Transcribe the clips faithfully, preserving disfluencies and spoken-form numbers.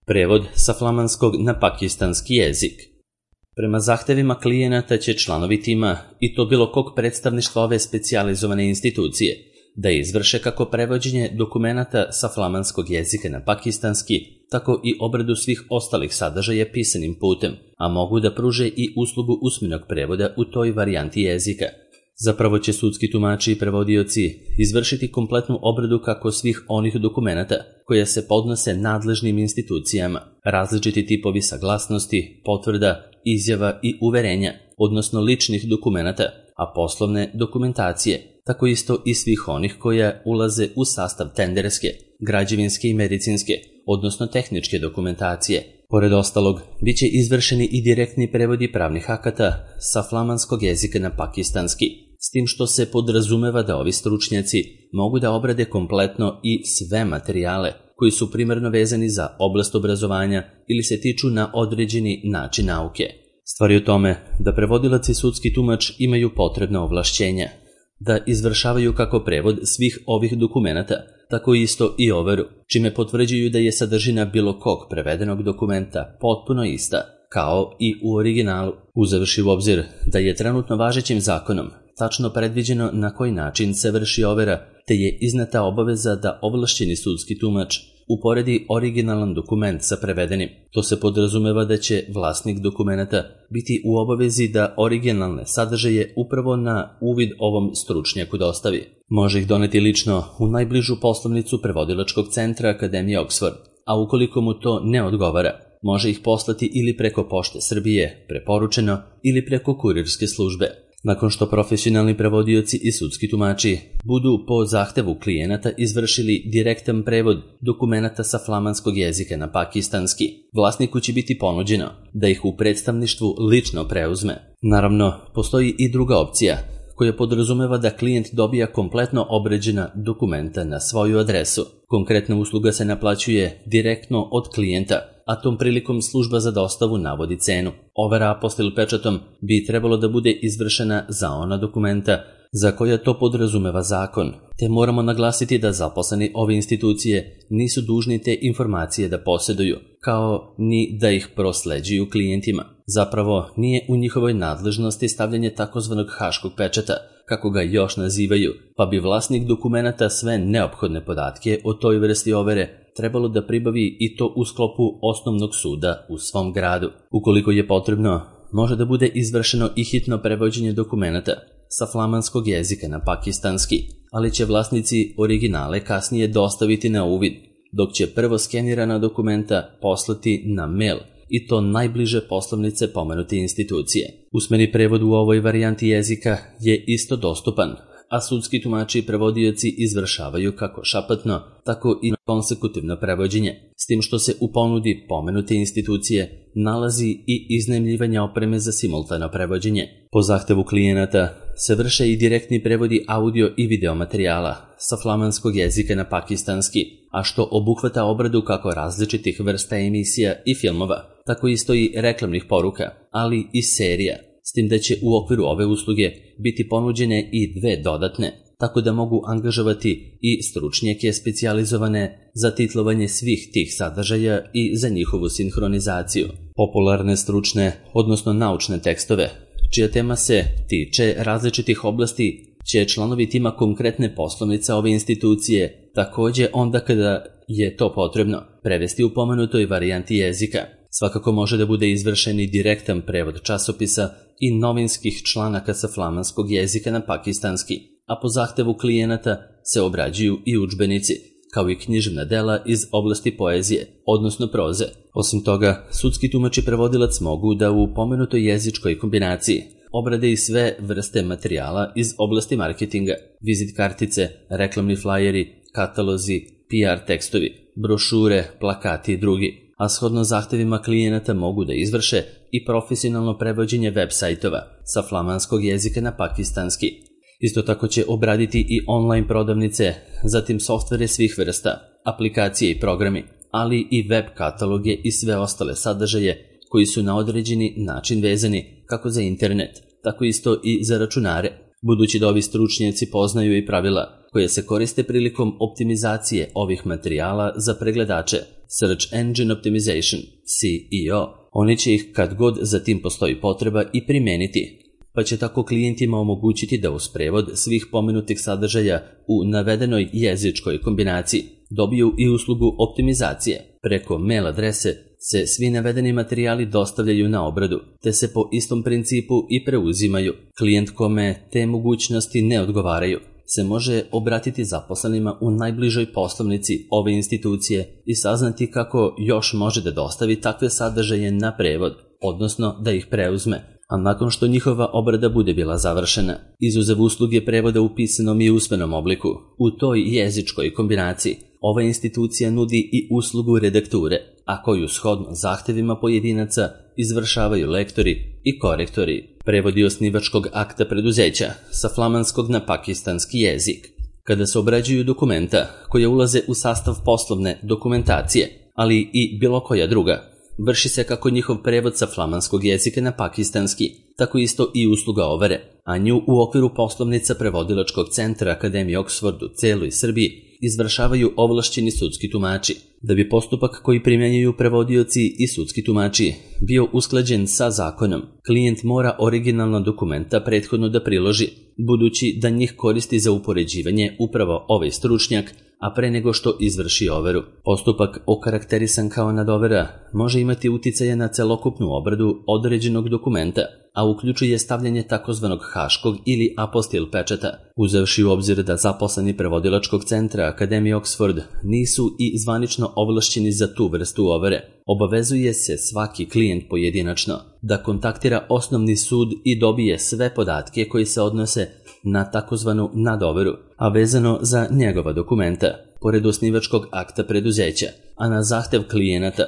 Prevod sa flamanskog na pakistanski jezik. Prema zahtevima klijenata će članovi tima, i to bilo kog predstavništva ove specijalizovane institucije, da izvrše kako prevođenje dokumenata sa flamanskog jezika na pakistanski, tako i obradu svih ostalih sadržaja pisanim putem, a mogu da pruže i uslugu usmenog prevoda u toj varijanti jezika. Zapravo će sudski tumači i prevodioci izvršiti kompletnu obradu kako svih onih dokumenata koje se podnose nadležnim institucijama, različiti tipovi saglasnosti, potvrda, izjava i uverenja, odnosno ličnih dokumenata, a poslovne dokumentacije, tako isto i svih onih koja ulaze u sastav tenderske, građevinske i medicinske, odnosno tehničke dokumentacije. Pored ostalog, bit će izvršeni i direktni prevodi pravnih akata sa flamanskog jezika na pakistanski, s tim što se podrazumeva da ovi stručnjaci mogu da obrade kompletno i sve materijale koji su primarno vezani za oblast obrazovanja ili se tiču na određeni način nauke. Stvar je u tome da prevodilac i sudski tumač imaju potrebna ovlašćenja, da izvršavaju kako prevod svih ovih dokumenata, tako isto i overu, čime potvrđuju da je sadržina bilo kog prevedenog dokumenta potpuno ista, kao i u originalu, uzevši u obzir da je trenutno važećim zakonom tačno predviđeno na koji način se vrši overa, te je izneta obaveza da ovlašćeni sudski tumač uporedi originalan dokument sa prevedenim. To se podrazumeva da će vlasnik dokumenta biti u obavezi da originalne sadržaje upravo na uvid ovom stručnjaku dostavi. Može ih doneti lično u najbližu poslovnicu prevodilačkog centra Akademije Oxford, a ukoliko mu to ne odgovara, može ih poslati ili preko Pošte Srbije, preporučeno, ili preko kurirske službe. Nakon što profesionalni prevodioci i sudski tumači budu po zahtevu klijenata izvršili direktan prevod dokumenata sa flamanskog jezika na pakistanski, vlasniku će biti ponuđeno da ih u predstavništvu lično preuzme. Naravno, postoji i druga opcija, koja podrazumeva da klijent dobija kompletno obrađena dokumenta na svoju adresu. Konkretna usluga se naplaćuje direktno od klijenta, a tom prilikom služba za dostavu navodi cenu. Overa apostil pečatom bi trebalo da bude izvršena za ona dokumenta za koja to podrazumeva zakon, te moramo naglasiti da zaposleni ove institucije nisu dužni te informacije da posjeduju, kao ni da ih prosleđuju klijentima. Zapravo nije u njihovoj nadležnosti stavljanje takozvanog haškog pečata, kako ga još nazivaju, pa bi vlasnik dokumenata sve neophodne podatke o toj vrsti overe trebalo da pribavi i to u sklopu osnovnog suda u svom gradu. Ukoliko je potrebno, može da bude izvršeno i hitno prevođenje dokumenata sa flamanskog jezika na pakistanski, ali će vlasnici originale kasnije dostaviti na uvid, dok će prvo skenirana dokumenta poslati na mail, i to najbliže poslovnice pomenute institucije. Usmeni prevod u ovoj varijanti jezika je isto dostupan, a sudski tumači i prevodioci izvršavaju kako šapatno, tako i konsekutivno prevođenje, s tim što se u ponudi pomenute institucije nalazi i iznajmljivanje opreme za simultano prevođenje. Po zahtevu klijenata se vrše i direktni prevodi audio i video materijala sa flamanskog jezika na pakistanski, a što obuhvata obradu kako različitih vrsta emisija i filmova, tako isto i reklamnih poruka, ali i serija, s tim da će u okviru ove usluge biti ponuđene i dve dodatne, tako da mogu angažovati i stručnjake specijalizovane za titlovanje svih tih sadržaja i za njihovu sinhronizaciju. Popularne stručne, odnosno naučne tekstove, čija tema se tiče različitih oblasti, će članovi tima konkretne poslovnice ove institucije takođe onda kada je to potrebno prevesti u pomenutoj varijanti jezika. Svakako može da bude izvršen i direktan prevod časopisa i novinskih članaka sa flamanskog jezika na pakistanski, a po zahtevu klijenata se obrađuju i udžbenici, kao i književna dela iz oblasti poezije, odnosno proze. Osim toga, sudski tumač i prevodilac mogu da u pomenutoj jezičkoj kombinaciji obrade i sve vrste materijala iz oblasti marketinga, vizit kartice, reklamni flajeri, katalozi, P R tekstovi, brošure, plakati i drugi, a shodno zahtevima klijenata mogu da izvrše i profesionalno prevođenje web sajtova sa flamanskog jezika na pakistanski. Isto tako će obraditi i online prodavnice, zatim softvere svih vrsta, aplikacije i programi, ali i web kataloge i sve ostale sadržaje koji su na određeni način vezani kako za internet, tako isto i za računare, budući da ovi stručnjaci poznaju i pravila koje se koriste prilikom optimizacije ovih materijala za pregledače, Search Engine Optimization, C E O. Oni će ih kad god za tim postoji potreba i primijeniti, pa će tako klijentima omogućiti da uz prevod svih pomenutih sadržaja u navedenoj jezičkoj kombinaciji dobiju i uslugu optimizacije. Preko mail adrese se svi navedeni materijali dostavljaju na obradu, te se po istom principu i preuzimaju. Klijent kome te mogućnosti ne odgovaraju se može obratiti zaposlenima u najbližoj poslovnici ove institucije i saznati kako još može da dostavi takve sadržaje na prevod, odnosno da ih preuzme, a nakon što njihova obrada bude bila završena. Izuzev usluge prevoda u pisanom i usmenom obliku, u toj jezičkoj kombinaciji ova institucija nudi i uslugu redakture, a koju shodno zahtevima pojedinaca izvršavaju lektori i korektori. Prevodi osnivačkog akta preduzeća sa flamanskog na pakistanski jezik. Kada se obrađuju dokumenta koje ulaze u sastav poslovne dokumentacije, ali i bilo koja druga, vrši se kako njihov prevod sa flamanskog jezika na pakistanski, tako isto i usluga overe, a nju u okviru poslovnica prevodilačkog centra Akademije Oxford u celoj Srbiji izvršavaju ovlašćeni sudski tumači. Da bi postupak koji primjenjuju prevodioci i sudski tumači bio usklađen sa zakonom, klijent mora originalna dokumenta prethodno da priloži, budući da njih koristi za upoređivanje upravo ovaj stručnjak, a pre nego što izvrši overu. Postupak okarakterisan kao nadovera može imati uticaja na celokupnu obradu određenog dokumenta, a uključuje stavljanje takozvanog haškog ili apostil pečata. Uzevši u obzir da zaposleni prevodilačkog centra Akademije Oxford nisu i zvanično ovlašćeni za tu vrstu overe, obavezuje se svaki klijent pojedinačno da kontaktira osnovni sud i dobije sve podatke koji se odnose na takozvanu nadoveru, a vezano za njegova dokumenta, pored osnivačkog akta preduzeća, a na zahtev klijenata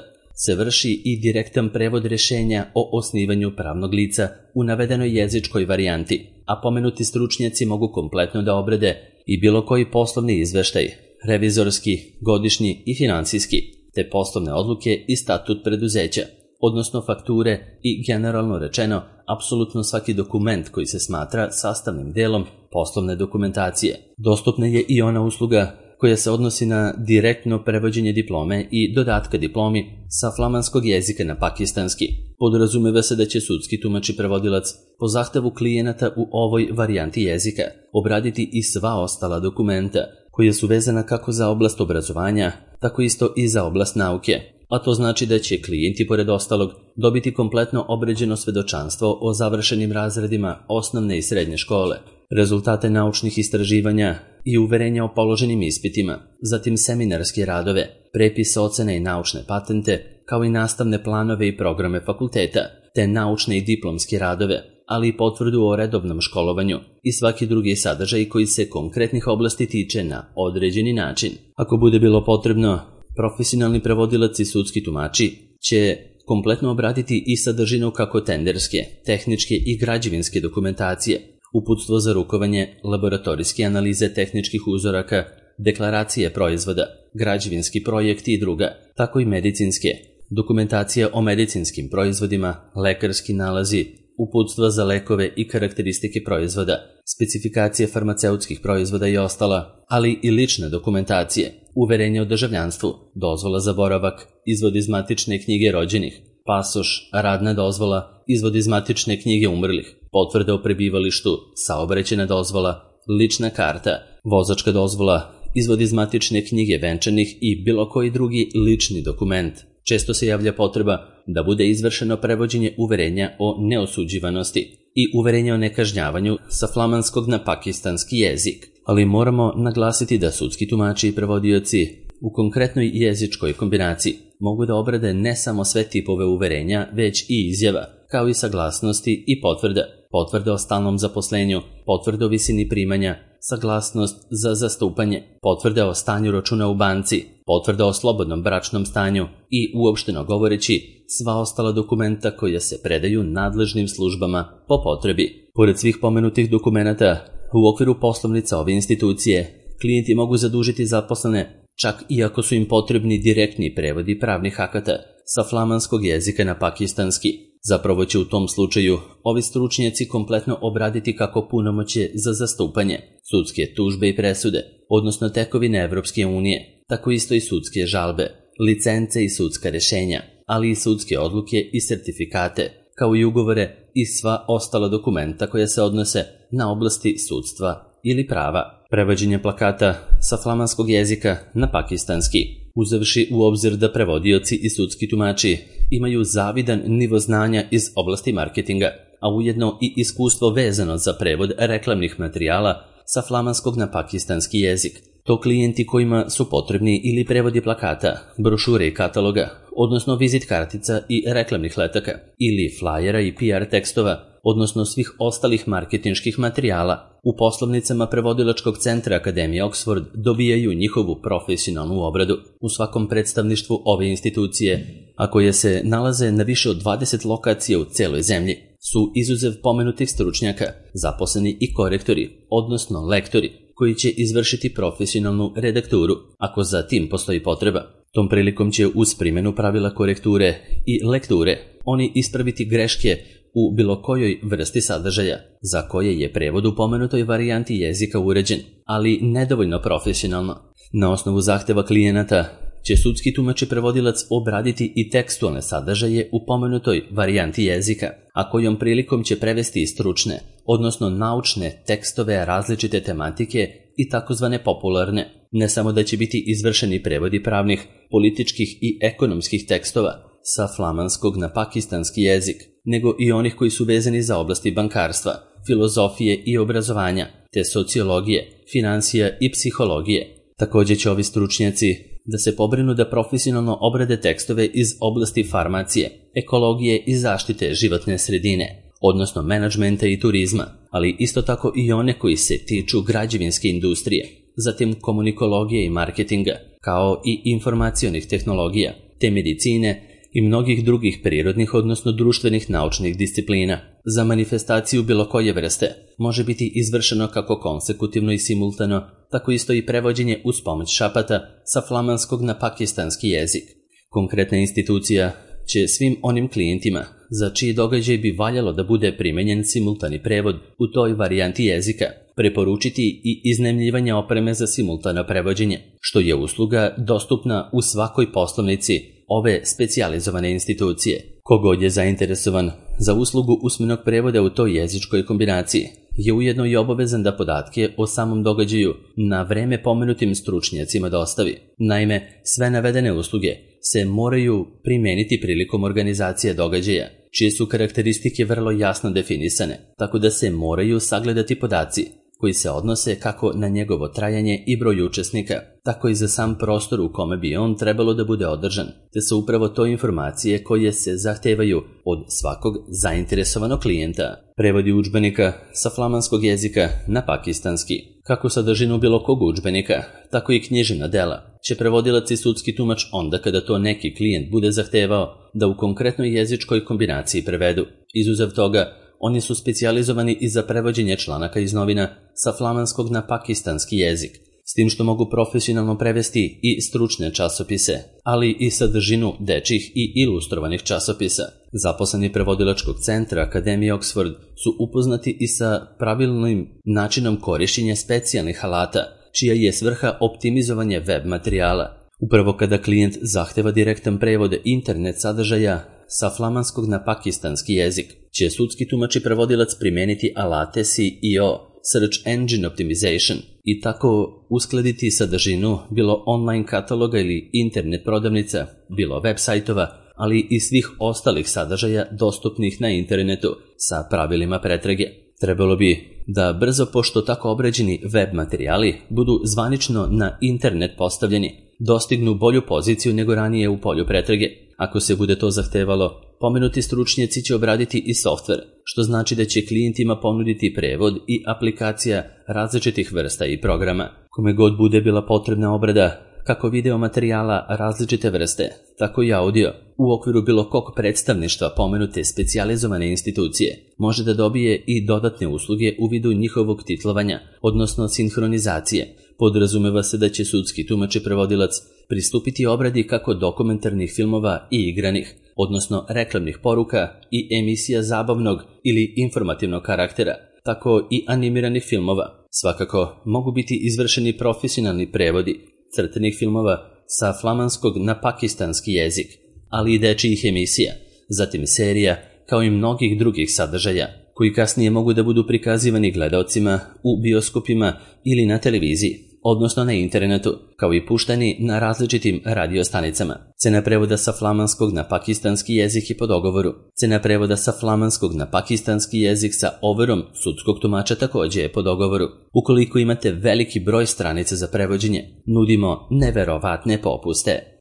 se vrši i direktan prevod rješenja o osnivanju pravnog lica u navedenoj jezičkoj varijanti, a pomenuti stručnjaci mogu kompletno da obrade i bilo koji poslovni izveštaj, revizorski, godišnji i finansijski, te poslovne odluke i statut preduzeća, odnosno fakture i, generalno rečeno, apsolutno svaki dokument koji se smatra sastavnim delom poslovne dokumentacije. Dostupna je i ona usluga koja se odnosi na direktno prevođenje diplome i dodatka diplomi sa flamanskog jezika na pakistanski. Podrazumeva se da će sudski tumač i prevodilac po zahtevu klijenata u ovoj varijanti jezika obraditi i sva ostala dokumenta koja su vezana kako za oblast obrazovanja, tako isto i za oblast nauke. A to znači da će klijenti pored ostalog dobiti kompletno obrađeno svedočanstvo o završenim razredima osnovne i srednje škole, rezultate naučnih istraživanja i uverenja o položenim ispitima, zatim seminarske radove, prepise ocene i naučne patente, kao i nastavne planove i programe fakulteta, te naučne i diplomske radove, ali i potvrdu o redovnom školovanju i svaki drugi sadržaj koji se konkretnih oblasti tiče na određeni način. Ako bude bilo potrebno, profesionalni prevodilac i sudski tumači će kompletno obraditi i sadržinu kako tenderske, tehničke i građevinske dokumentacije, uputstvo za rukovanje, laboratorijske analize tehničkih uzoraka, deklaracije proizvoda, građevinski projekti i druga, tako i medicinske, dokumentacija o medicinskim proizvodima, lekarski nalazi, uputstva za lekove i karakteristike proizvoda, specifikacije farmaceutskih proizvoda i ostala, ali i lične dokumentacije, uverenje o državljanstvu, dozvola za boravak, izvod iz matične knjige rođenih, pasoš, radna dozvola, izvod iz matične knjige umrlih, potvrda o prebivalištu, saobraćajna dozvola, lična karta, vozačka dozvola, izvod iz matične knjige venčanih i bilo koji drugi lični dokument. Često se javlja potreba da bude izvršeno prevođenje uverenja o neosuđivanosti i uverenja o nekažnjavanju sa flamanskog na pakistanski jezik, ali moramo naglasiti da sudski tumači i prevodioci u konkretnoj jezičkoj kombinaciji mogu da obrade ne samo sve tipove uverenja, već i izjava, kao i saglasnosti i potvrda, potvrda o stalnom zaposlenju, potvrda o visini primanja, saglasnost za zastupanje, potvrda o stanju računa u banci, potvrda o slobodnom bračnom stanju i, uopšteno govoreći, sva ostala dokumenta koja se predaju nadležnim službama po potrebi. Pored svih pomenutih dokumenata, u okviru poslovnica ove institucije, klijenti mogu zadužiti zaposlene čak i ako su im potrebni direktni prevodi pravnih akata sa flamanskog jezika na pakistanski. Zapravo će u tom slučaju ovi stručnjaci kompletno obraditi kako punomoćje za zastupanje, sudske tužbe i presude, odnosno tekovine Evropske unije, tako isto i sudske žalbe, licence i sudska rješenja, ali i sudske odluke i sertifikate, kao i ugovore i sva ostala dokumenta koja se odnose na oblasti sudstva ili prava. Prevođenje plakata sa flamanskog jezika na pakistanski, uzevši u obzir da prevodioci i sudski tumači imaju zavidan nivo znanja iz oblasti marketinga, a ujedno i iskustvo vezano za prevod reklamnih materijala sa flamanskog na pakistanski jezik. To klijenti kojima su potrebni ili prevodi plakata, brošure i kataloga, odnosno vizit kartica i reklamnih letaka, ili flajera i P R tekstova, odnosno svih ostalih marketinških materijala, u poslovnicama prevodilačkog centra Akademije Oxford dobijaju njihovu profesionalnu obradu. U svakom predstavništvu ove institucije, a koje se nalaze na više od dvadeset lokacija u celoj zemlji, su izuzev pomenutih stručnjaka, zaposleni i korektori, odnosno lektori, koji će izvršiti profesionalnu redakturu, ako za tim postoji potreba. Tom prilikom će uz primjenu pravila korekture i lekture oni ispraviti greške u bilo kojoj vrsti sadržaja, za koje je prevod u pomenutoj varijanti jezika uređen, ali nedovoljno profesionalno. Na osnovu zahteva klijenata će sudski tumač i prevodilac obraditi i tekstualne sadržaje u pomenutoj varijanti jezika, a kojom prilikom će prevesti stručne, odnosno naučne tekstove različite tematike i takozvane popularne. Ne samo da će biti izvršeni prevodi pravnih, političkih i ekonomskih tekstova sa flamanskog na pakistanski jezik, nego i onih koji su vezani za oblasti bankarstva, filozofije i obrazovanja, te sociologije, financija i psihologije. Također će ovi stručnjaci da se pobrinu da profesionalno obrade tekstove iz oblasti farmacije, ekologije i zaštite životne sredine, odnosno menadžmenta i turizma, ali isto tako i one koji se tiču građevinske industrije, zatim komunikologije i marketinga, kao i informacionih tehnologija, te medicine i mnogih drugih prirodnih, odnosno društvenih naučnih disciplina. Za manifestaciju bilo koje vrste može biti izvršeno kako konsekutivno i simultano, tako isto i prevođenje uz pomoć šapata sa flamanskog na pakistanski jezik. Konkretna institucija će svim onim klijentima za čiji događaj bi valjalo da bude primenjen simultani prevod u toj varijanti jezika preporučiti i iznajmljivanje opreme za simultano prevođenje, što je usluga dostupna u svakoj poslovnici ove specijalizovane institucije. Kogod je zainteresovan za uslugu usmenog prevoda u toj jezičkoj kombinaciji je ujedno i obavezan da podatke o samom događaju na vreme pomenutim stručnjacima dostavi. Naime, sve navedene usluge se moraju primijeniti prilikom organizacije događaja, čije su karakteristike vrlo jasno definisane, tako da se moraju sagledati podaci koji se odnose kako na njegovo trajanje i broj učesnika, tako i za sam prostor u kome bi on trebalo da bude održan, te su upravo to informacije koje se zahtevaju od svakog zainteresovanog klijenta. Prevodi udžbenika sa flamanskog jezika na pakistanski. Kako sadržinu bilo kog udžbenika, tako i književna dela će prevodilac i sudski tumač onda kada to neki klijent bude zahtevao da u konkretnoj jezičkoj kombinaciji prevedu. Izuzev toga, oni su specijalizovani i za prevođenje članaka iz novina sa flamanskog na pakistanski jezik, s tim što mogu profesionalno prevesti i stručne časopise, ali i sadržinu dečjih i ilustrovanih časopisa. Zaposleni prevodilačkog centra Akademije Oxford su upoznati i sa pravilnim načinom korišćenja specijalnih alata, čija je svrha optimizovanje web materijala. Upravo kada klijent zahteva direktan prevod internet sadržaja sa flamanskog na pakistanski jezik, će sudski tumač i prevodilac primijeniti alate S E O, Search Engine Optimization, i tako uskladiti sadržinu bilo online kataloga ili internet prodavnica, bilo web sajtova, ali i svih ostalih sadržaja dostupnih na internetu sa pravilima pretrage. Trebalo bi da brzo, pošto tako obrađeni web materijali budu zvanično na internet postavljeni, dostignu bolju poziciju nego ranije u polju pretrage. Ako se bude to zahtevalo, pomenuti stručnjaci će obraditi i softver, što znači da će klijentima ponuditi prevod i aplikacija različitih vrsta i programa. Kome god bude bila potrebna obrada, kako video materijala različite vrste, tako i audio, u okviru bilo kog predstavništva pomenute specijalizovane institucije, može da dobije i dodatne usluge u vidu njihovog titlovanja, odnosno sinhronizacije. Podrazumeva se da će sudski tumač i prevodilac pristupiti obradi kako dokumentarnih filmova i igranih, odnosno reklamnih poruka i emisija zabavnog ili informativnog karaktera, tako i animiranih filmova. Svakako mogu biti izvršeni profesionalni prevodi crtanih filmova sa flamanskog na pakistanski jezik, ali i dečijih emisija, zatim serija, kao i mnogih drugih sadržaja, koji kasnije mogu da budu prikazivani gledaocima u bioskopima ili na televiziji, odnosno na internetu, kao i puštani na različitim radiostanicama. Cena prevoda sa flamanskog na pakistanski jezik je po dogovoru. Cena prevoda sa flamanskog na pakistanski jezik sa overom sudskog tumača takođe je po dogovoru. Ukoliko imate veliki broj stranica za prevođenje, nudimo neverovatne popuste.